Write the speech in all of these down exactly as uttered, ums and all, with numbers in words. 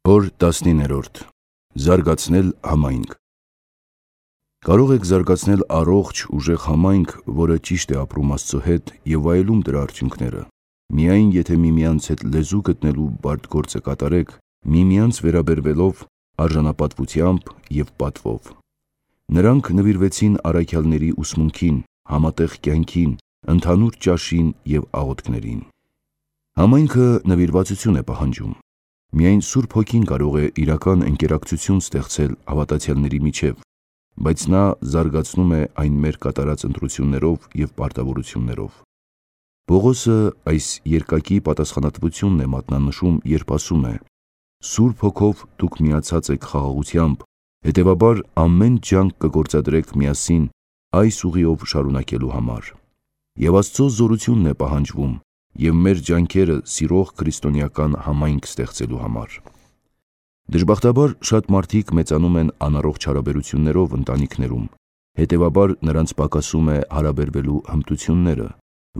Օր տասնիններորդ. Զարգացնել համայնք։ Կարող եք զարգացնել առողջ, ուժեղ համայնք, որը ճիշտ է ապրում Աստծո հետ և վայելում դրա արդյունքները, միայն եթե միմյանց հետ լեզու գտնելու բարդ գործը կատարեք, միմյանց վերաբերվելով արժանապատվությամբ և պատվով։ Նրանք նվիրվեցին առաքյալների ուսմունքին, համատեղ կյանքին, ընդհանուր ճաշին և աղոթքներին։ Համայնքը նվիրվածություն է պահանջում։ Միայն Սուրբ Հոգին կարող է իրական ընկերակցություն ստեղծել հավատացյալների միջև, բայց նա զարգացնում է այն մեր կատարած ընտրություններով և պարտավորություններով։ Պողոսը այս երկակի պատասխանատվությունն է մատնանշում, երբ ասում է. «Սուրբ Հոգով դուք միացած եք խաղաղությամբ, հետևաբար ամեն ջանք կգործադրեք միասին այս ուղիով շարունակելու համար»։ Եվ Աստծո զորությունն է պահանջվում և մեր ջանքերը սիրող քրիստոնեական համայնք ստեղծելու համար։ Դժբախտաբար շատ մարդիկ մեծանում են անառողջ հարաբերություններով ընտանիքներում, հետևաբար նրանց պակասում է հարաբերվելու հմտությունները,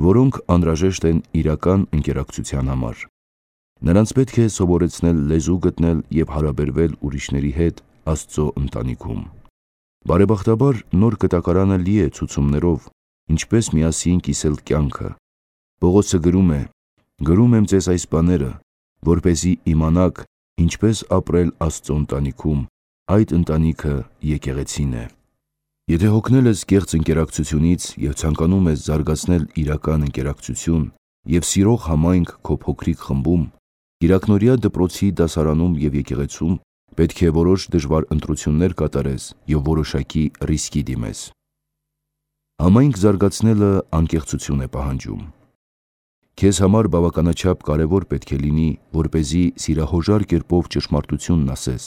որոնք անհրաժեշտ են իրական ընկերակցության համար։ Նրանց պետք է սովորեցնել լեզու գտնել և հարաբերվել ուրիշների հետ Աստծո ընտանիքում։ Բարեբախտաբար նոր կտակարանը լի է ցուցումներով, ինչպես միասին կիսել կյանքը։ Պողոսը գրում է. «Գրում եմ ձեզ այս բաները, որպեսզի իմանաք ինչպես ապրել Աստծո ընտանիքում, այդ ընտանիքը եկեղեցին է»։ Եթե հոգնել ես կեղծ ընկերակցությունից և ցանկանում ես զարգացնել իրական ընկերակցություն և սիրող համայնք քո փոքրիկ խմբում, կիրակնօրյա դպրոցի դասարանում և եկեղեցում պետք է որոշ դժվար ընտրություններ կատարես և որոշակի ռիսկի դիմես։ Համայնք զարգացնելը անկեղծություն է պահանջում։ Քեզ համար բավականաչափ կարևոր պետք է լինի, որպեսզի սիրահոժար կերպով ճշմարտությունն ասես,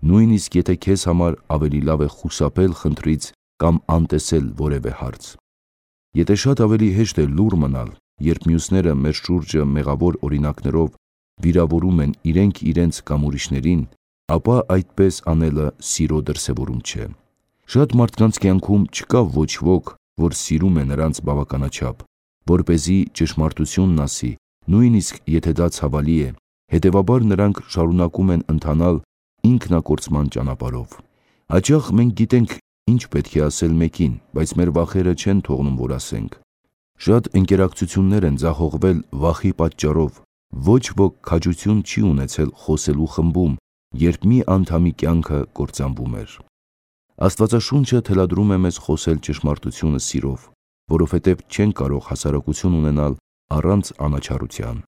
նույնիսկ եթե քեզ համար ավելի լավ է խուսափել խնդրից կամ անտեսել որևէ հարց։ Եթե շատ ավելի հեշտ է լուռ մնալ, երբ մյուսները մեր շուրջը մեղավոր օրինակներով վիրավորում են իրենք իրենց կամ ուրիշներին, ապա այդպես անելը սիրո դրսևորում չէ։ Շատ մարդկանց կյանքում չկա ոչ ոք, որ սիրում է նրանց բավականաչափ, որպեսզի ճշմարտությունն ասի, նույնիսկ եթե դա ցավալի է, հետևաբար նրանք շարունակում են ընթանալ ինքնակորցման ճանապարհով։ Հաճախ մենք գիտենք ինչ պետք է ասել մեկին, բայց մեր վախերը չեն թողնում, որ ասենք։ Շատ ընկերակցություններ են ձախողվել վախի պատճառով, ոչ ոք քաջություն չի ունեցել խոսելու խմբում, երբ մի անդամի կյանքը կործանվում էր։ Աստվածաշունչը թելադրում է մեզ խոսել ճշմարտությունը սիրով, որովհետև չենք կարող հասարակություն ունենալ առանց անաչառության։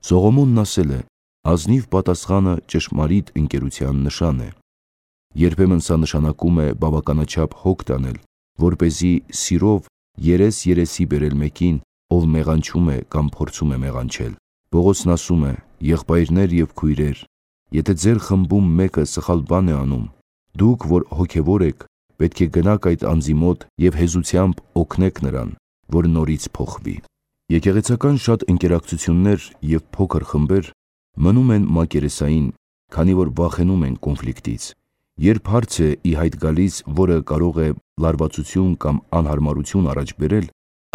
Սողոմոնն ասել է. «Ազնիվ պատասխանը ճշմարիտ ընկերության նշան է»։ Երբեմն սա նշանակում է բավականաչափ հոգ տանել, որպեսզի սիրով երես-երեսի բերել մեկին, ով մեղանչում է կամ փորձում է մեղանչել։ Պողոսն ասում է. «Եղբայրներ և քույրեր, եթե ձեր խմբում մեկը սխալ բան է անում, դուք, որ հոգևոր եք, պետք է գնաք այդ անձի մոտ և հեզությամբ օգնեք նրան, որ նորից փոխվի»։ Եկեղեցական շատ ընկերակցություններ և փոքր խմբեր մնում են մակերեսային, քանի որ վախենում են կոնֆլիկտից։ Երբ հարց է ի հայտ գալիս, որը կարող է լարվածություն կամ անհարմարություն առաջ բերել,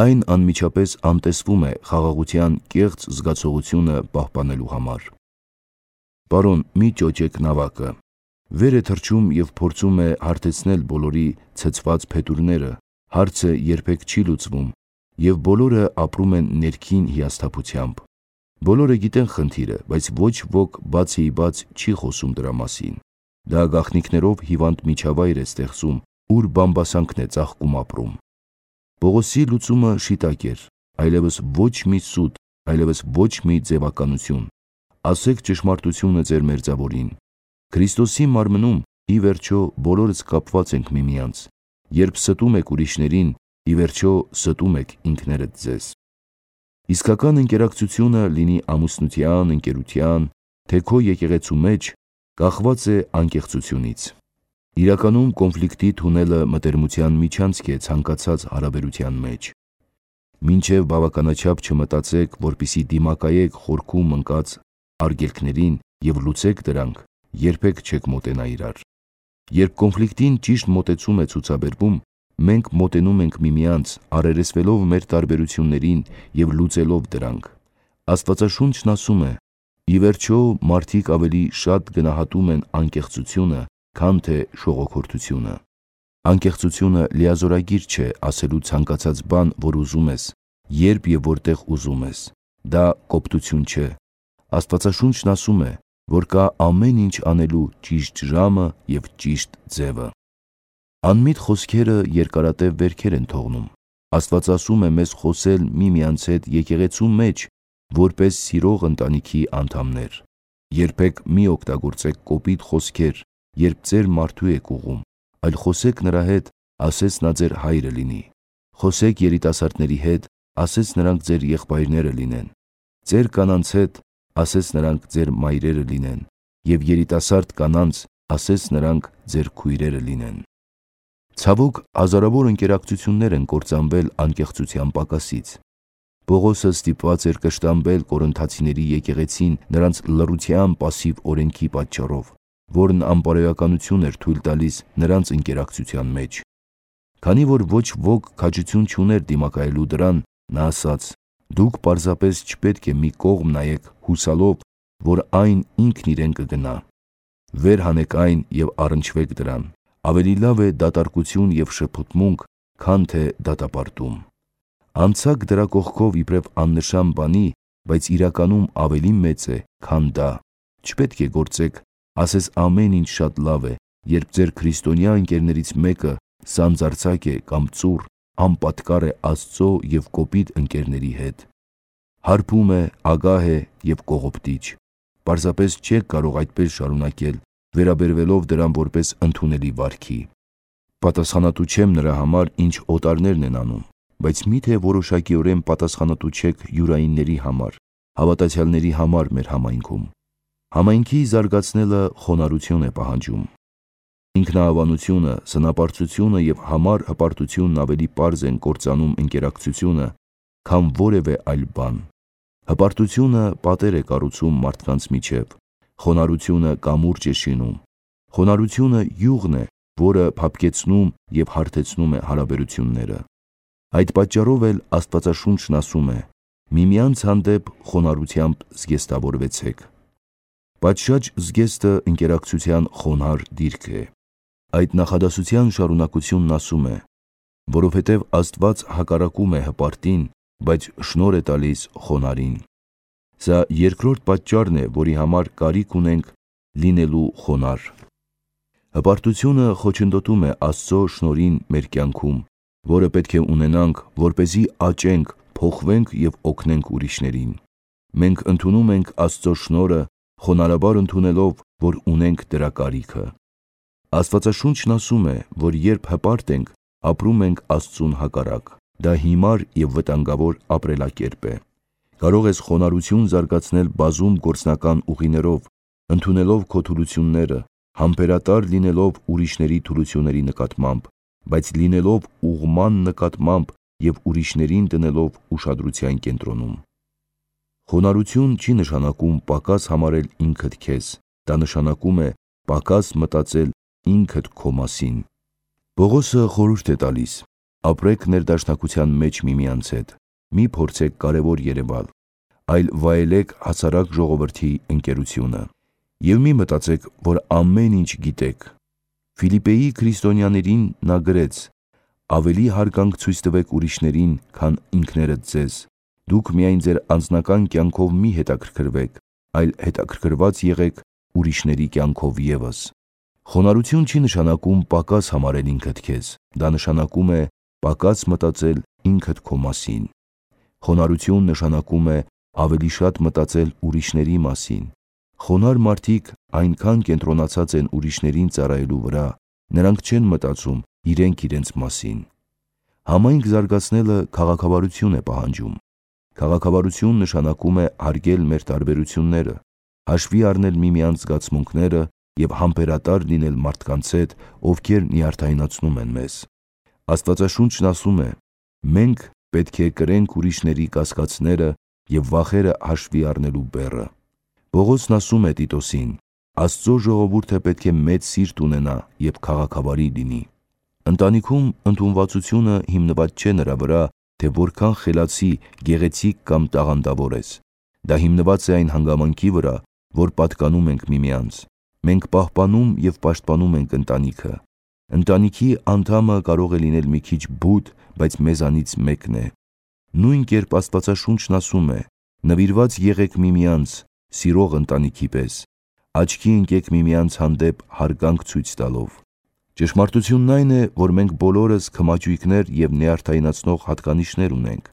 այն անմիջապես անտեսվում է խաղաղության կեղծ զգացողությունը պահպանելու համար։ Պարոն, մի ճոճեք նավակը։ Վեր է թռչում և փորձում է հարթեցնել բոլորի ցցված փետուրները, հարցը երբեք չի լուծվում, և բոլորը ապրում են ներքին հիասթափությամբ։ Բոլորը գիտեն խնդիրը, բայց ոչ ոք բացիիբաց չի խոսում դրա մասին։ Դա գաղտնիքներով հիվանդ միջավայր է ստեղծում, ուր բամբասանքն է ծաղկում ապրում։ Պողոսի լուծումը շիտակ էր, այլևս ոչ մի սուտ, այլևս ոչ մի ձևականություն։ Ասեք ճշմարտությունը ձեր մերձավորին։ Քրիստոսի մարմնում, ի վերջո, բոլորս կապված ենք միմյանց։ Երբ ստում եք ուրիշներին, ի վերջո ստում եք ինքներդ ձեզ։ Իսկական ընկերակցությունը, լինի ամուսնության, ընկերության, թե քո եկեղեցու մեջ, կախված է անկեղծությունից։ Իրականում կոնֆլիկտի թունելը մտերմության միջանցք է ցանկացած հարաբերության մեջ։ Մինչև բավականաչափ չմտածեք, որպեսզի դիմակայեք խորքում ընկած արգելքներին և լուծեք դրանք, երբեք չեք մոտենա իրար։ Երբ կոնֆլիկտին ճիշտ մոտեցում է ցուցաբերվում, մենք մոտենում ենք միմյանց, առերեսվելով մեր տարբերություններին և լուծելով դրանք։ Աստվածաշունչն ասում է. Ի վերջո, մարդիկ ավելի շատ գնահատում են անկեղծությունը, քան թե շողոքորթությունը։ Անկեղծությունը լիազորագիր չէ ասելու ցանկացած բան, որ ուզում ես, երբ և որտեղ ուզում ես։ Դա կոպտություն չէ։ Աստվածաշունչն ասում է, որ կա ամեն ինչ անելու ճիշտ ժամը և ճիշտ ձևը։ Անմիտ խոսքերը երկարատև վերքեր են թողնում։ Աստված ասում է մեզ խոսել միմյանց հետ եկեղեցու մեջ, որպես սիրող ընտանիքի անդամներ։ Երբեք մի օգտագործեք կոպիտ խոսքեր, երբ ձեր մարդու եք ուղղում, այլ խոսեք նրա հետ, ասես նա ձեր հայրը լինի։ Խոսեք երիտասարդների հետ, ասես նրանք ձեր եղբայրները լինեն։ Ձեր կանանց հետ, ասես նրանք ձեր մայրերը լինեն, և երիտասարդ կանանց, ասես նրանք ձեր քույրերը լինեն։ Ցավոք, հազարավոր ընկերակցություններ են կործանվել անկեղծության պակասից։ Պողոսը ստիպված էր կշտամբել կորինթացիների եկեղեցին նրանց լռության պասիվ օրենքի պատճառով, որն անբարոյականություն էր թույլ տալիս նրանց ընկերակցության մեջ։ Քանի որ ոչ ոք քաջություն չուներ դիմակայելու դրան, նա ասաց. «Դուք պարզապես չպետք է մի կողմ նայեք հուսալով, որ այն ինքն իրեն կգնա։ Վեր հանեք այն և առնչվեք դրան։ Ավելի լավ է դատարկություն և շփոթմունք, քան թե դատապարտում։ Անցաք դրա կողքով իբրև աննշան բանի, բայց իրականում ավելի մեծ է, քան դա։ Չպետք է գործեք, ասես ամեն ինչ շատ լավ է, երբ ձեր քրիստոնյա ընկերներից մեկը սանձարձակ է կամ ծուռ, անպատկառ է Աստծո և կոպիտ ընկերների հետ։ Հարբում է, ագահ է և կողոպտիչ։ Պարզապես չեք կարող այդպես շարունակել, վերաբերվելով դրան որպես ընդունելի վարքի։ Պատասխանատու չեմ նրա համար, ինչ օտարներն են անում, բայց միթե որոշակիորեն պատասխանատու չեք յուրայինների համար, հավատացյալների համար մեր համայնքում։ Համայնքի զարգացնելը խոնարհություն է պահանջում։ Ինքնահավանությունը, սնապարծությունը և համառ հպարտությունն ավելի պարզ են կործանում ընկերակցությունը, քան որևէ այլ բան։ Հպարտությունը պատեր է կառուցում մարդկանց միջև, խոնարհությունը կամուրջ է շինում։ Խոնարհությունը յուղն է, որը փափկեցնում և հարթեցնում է հարաբերությունները։ Այդ պատճառով էլ Աստվածաշունչն ասում է. «Միմյանց հանդեպ խոնարհությամբ զգեստավորվեցեք»։ Պատշաճ զգեստը ընկերակցության խոնարհ դիրք է։ Այդ նախադասության շարունակությունն ասում է. «Որովհետև Աստված հակառակում է հպարտին, բայց շնորհ է տալիս խոնարհին»։ Սա երկրորդ պատճառն է, որի համար կարիք ունենք լինելու խոնարհ։ Հպարտությունը խոչընդոտում է Աստծո շնորհին մեր կյանքում, որը պետք է ունենանք, որպեսզի աճենք, փոխվենք և օգնենք ուրիշներին։ Մենք ընդունում ենք Աստծո շնորհը, խոնարհաբար ընդունելով, որ ունենք դրա կարիքը։ Աստվածաշունչն ասում է, որ երբ հպարտ ենք, ապրում ենք Աստծուն հակառակ։ Դա հիմար և վտանգավոր ապրելակերպ է։ Կարող ես խոնարհություն զարգացնել բազում գործնական ուղիներով, ընդունելով քո թուլությունները, համբերատար լինելով ուրիշների թուլությունների նկատմամբ, բայց լինելով ուղղման նկատմամբ և ուրիշներին դնելով ուշադրության կենտրոնում։ Խոնարհություն չի նշանակում պակաս համարել ինքդ քեզ, դա նշանակում է պակաս մտածել ինքդ քո մասին։ Պողոսը խորհուրդ է տալիս. ապրեք ներդաշնակության մեջ միմյանց հետ, մի փորձեք կարևոր երևալ, այլ վայելեք հասարակ ժողովրդի ընկերությունը։ Եվ մի մտածեք, որ ամեն ինչ գիտեք։ Ֆիլիպպեի քրիստոնյաներին նա գրեց. ավելի հարգանք ցույց տվեք ուրիշներին, քան ինքներդ ձեզ։ Դուք միայն ձեր անձնական կյանքով մի հետաքրքրվեք, այլ հետաքրքրված եղեք ուրիշների կյանքով ևս։ Խոնարհություն չի նշանակում պակաս համարել ինքդ քեզ, դա նշանակում է պակաս մտածել ինքդ քո մասին։ Խոնարհություն նշանակում է ավելի շատ մտածել ուրիշների մասին։ Խոնարհ մարդիկ այնքան կենտրոնացած են ուրիշներին ծառայելու վրա, նրանք չեն մտածում իրենք իրենց մասին։ Համայնք զարգացնելը քաղաքավարություն է պահանջում։ Քաղաքավարություն նշանակում է հարգել մեր տարբերությունները, հաշվի առնել միմյանց զգացմունքները և համբերատար լինել մարդկանց հետ, ովքեր նյարդայնացնում են մեզ։ Աստվածաշունչն ասում է. մենք պետք է կրենք ուրիշների կասկածները և վախերը հաշվի առնելու բեռը։ Պողոսն ասում է Տիտոսին. Աստծո ժողովուրդը պետք է մեծ սիրտ ունենա և քաղաքավարի լինի։ Ընտանիքում ընդունվածությունը հիմնված չէ նրա վրա, թե որքան խելացի, գեղեցիկ կամ տաղանդավոր ես։ Դա հիմնված է այն հանգամանքի վրա, որ պատկանում ենք միմյանց։ Մենք պահպանում և պաշտպանում ենք ընտանիքը։ Ընտանիքի անդամը կարող է լինել մի քիչ բութ, բայց մեզանից մեկն է։ Նույն կերպ Աստվածաշունչն ասում է. «Նվիրված եղեք միմյանց, սիրող ընտանիքի պես, աչքի ընկեք միմյանց հանդեպ հարգանք ցույց տալով»։ Ճշմարտությունն այն է, որ մենք բոլորս քմաճույքներ և նյարդայնացնող հատկանիշներ ունենք,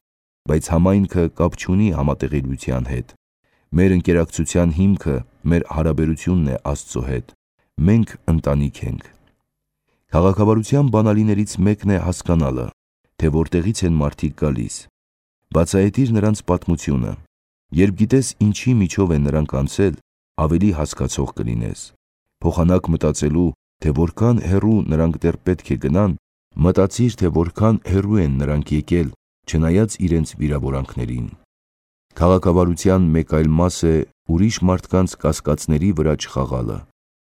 բայց համայնքը կապ չունի համատեղելիության հետ։ Մեր ընկերակցության հիմքը մեր հարաբերությունն է Աստծո հետ։ Մենք ընտանիք ենք։ Քաղաքավարության բանալիներից մեկն է հասկանալը, թե որտեղից են մարդիկ գալիս։ Բացահայտիր նրանց պատմությունը։ Երբ գիտես ինչի միջով են նրանք անցել, ավելի հասկացող կլինես։ Փոխանակ մտածելու, թե որքան հեռու նրանք դեռ պետք է գնան, մտածիր, թե որքան հեռու են նրանք եկել, չնայած իրենց վիրավորանքներին։ Քաղաքավարության մեկ այլ մաս է ուրիշ մարդկանց կասկածների վրա չխաղալը։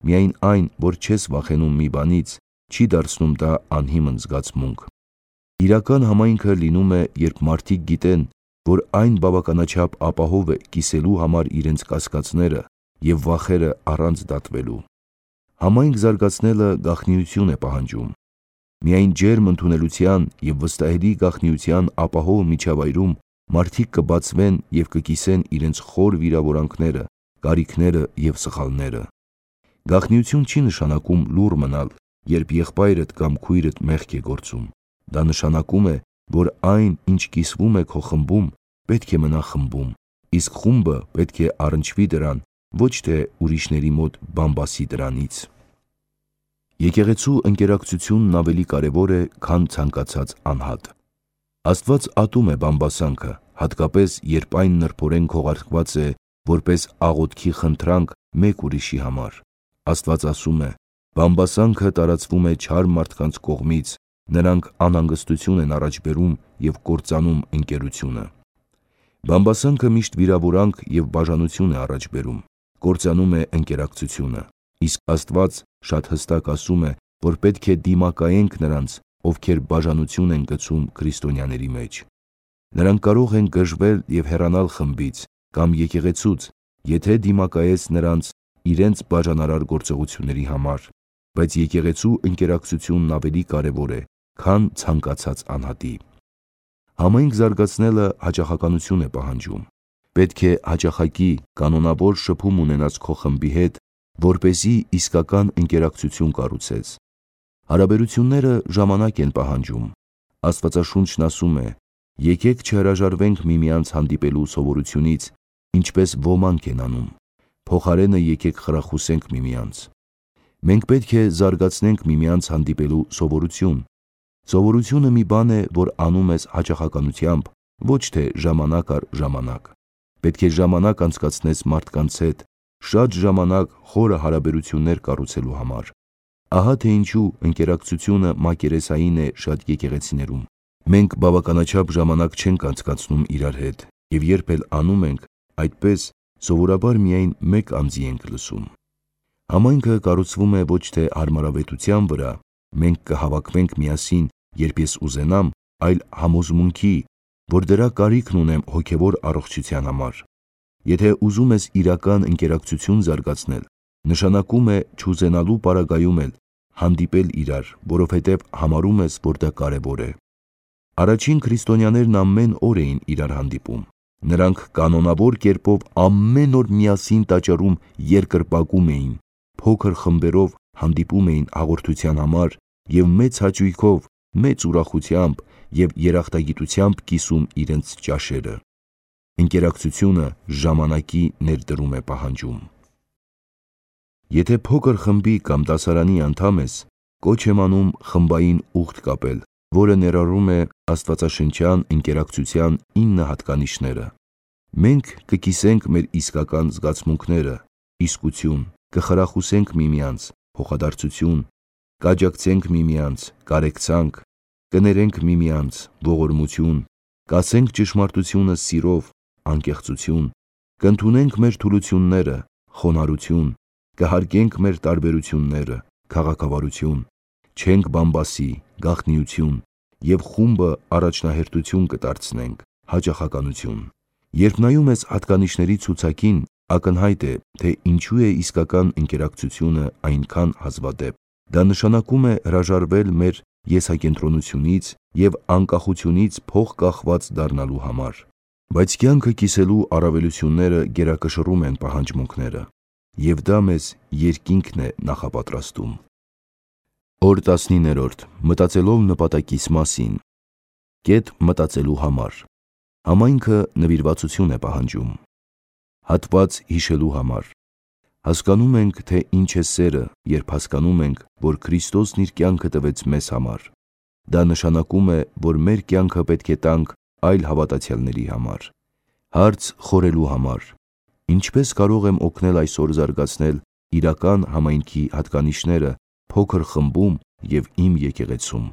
Միայն այն, որ չես վախենում մի բանից, չի դարձնում դա անհիմն զգացմունք։ Իրական համայնքը լինում է, երբ մարդիկ գիտեն, որ այն բավականաչափ ապահով է կիսելու համար իրենց կասկածները և վախերը առանց դատվելու։ Համայնք զարգացնելը գաղտնիություն է պահանջում։ Միայն ջերմ ընդունելության և վստահելի գաղտնիության ապահով միջավայրում մարդիկ կբացվեն և կկիսեն իրենց խոր վիրավորանքները, կարիքները և սխալները։ Գաղտնիություն չի նշանակում լուռ մնալ, երբ եղբայրդ կամ քույրդ մեղք է գործում։ Դա նշանակում է, որ այն, ինչ կիսվում է քո խմբում, պետք է մնա խմբում, իսկ խումբը պետք է առնչվի դրան, ոչ թե ուրիշների մոտ բամբասի դրանից։ Եկեղեցու ընկերակցությունն ավելի կարևոր է, քան ցանկացած անհատ։ Աստված ատում է բամբասանքը, հատկապես երբ այն նրբորեն քողարկված է որպես աղոթքի խնդրանք մեկ ուրիշի համար։ Աստված ասում է. «Բամբասանքը տարածվում է չար մարդկանց կողմից, նրանք անհանգստություն են առաջ բերում և կործանում ընկերությունը»։ Բամբասանքը միշտ վիրավորանք և բաժանություն է առաջ բերում, կործանում է ընկերակցությունը, իսկ Աստված շատ հստակ ասում է, որ պետք է դիմակայենք նրանց, ովքեր բաժանություն են գցում քրիստոնյաների մեջ։ Նրանք կարող են գժվել և հեռանալ խմբից կամ եկեղեցուց, եթե դիմակայես նրանց իրենց բաժանարար գործողությունների համար, բայց եկեղեցու ընկերակցությունն ավելի կարևոր է, քան ցանկացած անհատի։ Համայնք զարգացնելը հաճախականություն է պահանջում։ Պետք է հաճախակի կանոնավոր շփում ունենաս քո խմբի հետ, որպեսզի իսկական ընկերակցություն կառուցես։ Հարաբերությունները ժամանակ են պահանջում։ Աստվածաշունչն ասում է. «Եկեք չհրաժարվենք միմյանց հանդիպելու սովորությունից, ինչպես ոմանք են անում, փոխարենը եկեք խրախուսենք միմյանց»։ Մենք պետք է զարգացնենք միմյանց հանդիպելու սովորություն։ Սովորությունը մի բան է, որ անում ես հաճախականությամբ, ոչ թե ժամանակ առ ժամանակ։ Պետք է ժամանակ անցկացնես մարդկանց հետ, շատ ժամանակ խորը հարաբերություններ կառուցելու համար։ Ահա թե ինչու ընկերակցությունը մակերեսային է շատ եկեղեցիներում։ Մենք բավականաչափ ժամանակ չենք անցկացնում իրար հետ, և երբ էլ անում ենք, այդպես սովորաբար միայն մեկ անձի ենք լսում։ Համայնքը կառուցվում է ոչ թե հարմարավետության վրա, մենք կհավաքվենք միասին, երբ ես ուզենամ, այլ համոզմունքի, որ դրա կարիքն ունեմ հոգևոր առողջության համար։ Եթե ուզում ես իրական ընկերակցություն զարգացնել, նշանակում է չուզենալու պարագայում էլ հանդիպել իրար, որովհետև համարում ես, որ դա կարևոր է։ Առաջին քրիստոնյաներն ամեն օր էին իրար հանդիպում։ Նրանք կանոնավոր կերպով ամեն օր միասին տաճարում երկրպագում էին, փոքր խմբերով հանդիպում էին հաղորդության համար և մեծ հաճույքով, մեծ ուրախությամբ և երախտագիտությամբ կիսում իրենց ճաշերը։ Ընկերակցությունը ժամանակի ներդրում է պահանջում։ Եթե փոքր խմբի կամ դասարանի անդամ ես, կոչ եմ անում խմբային ուխտ կապել, որը ներառում է աստվածաշնչյան ընկերակցության ինը հատկանիշները։ Մենք կկիսենք մեր իսկական զգացմունքները, իսկություն, կխրախուսենք միմյանց, փոխադարձություն, կաջակցենք միմյանց, կարեկցանք, կներենք միմյանց, ողորմություն, կասենք ճշմարտությունը սիրով, անկեղծություն, կընդունենք մեր թուլությունները, խոնարհություն, կհարգենք մեր տարբերությունները, քաղաքավարություն, չենք բամբասի, գաղտնիություն և խումբը առաջնահերթություն կդարձնենք, հաճախականություն։ Երբ նայում ես հատկանիշների ցուցակին, ակնհայտ է, թե ինչու է իսկական ընկերակցությունը այնքան հազվադեպ։ Դա նշանակում է հրաժարվել մեր եսակենտրոնությունից և անկախությունից փող կախված դառնալու համար։ Բայց կյանքը կիսելու առավելությունները գերակշռում են պահանջմունքները, և դա մեզ երկինքն է նախապատրաստում։ Օր տասնիններորդ. Մտածելով նպատակիս մասին։ Կետ մտածելու համար։ Համայնքը նվիրվածություն է պահանջում։ Հատված հիշելու համար։ Հասկանում ենք, թե ինչ է սերը, երբ հասկանում ենք, որ Քրիստոսն իր կյանքը տվեց մեզ համար։ Դա նշանակում է, որ մեր կյանքը պետք է տանք այլ հավատացյալների համար։ Հարց խորելու համար. ինչպե՞ս կարող եմ օգնել այսօր զարգացնել իրական համայնքի հատկանիշները փոքր խմբում և իմ եկեղեցում։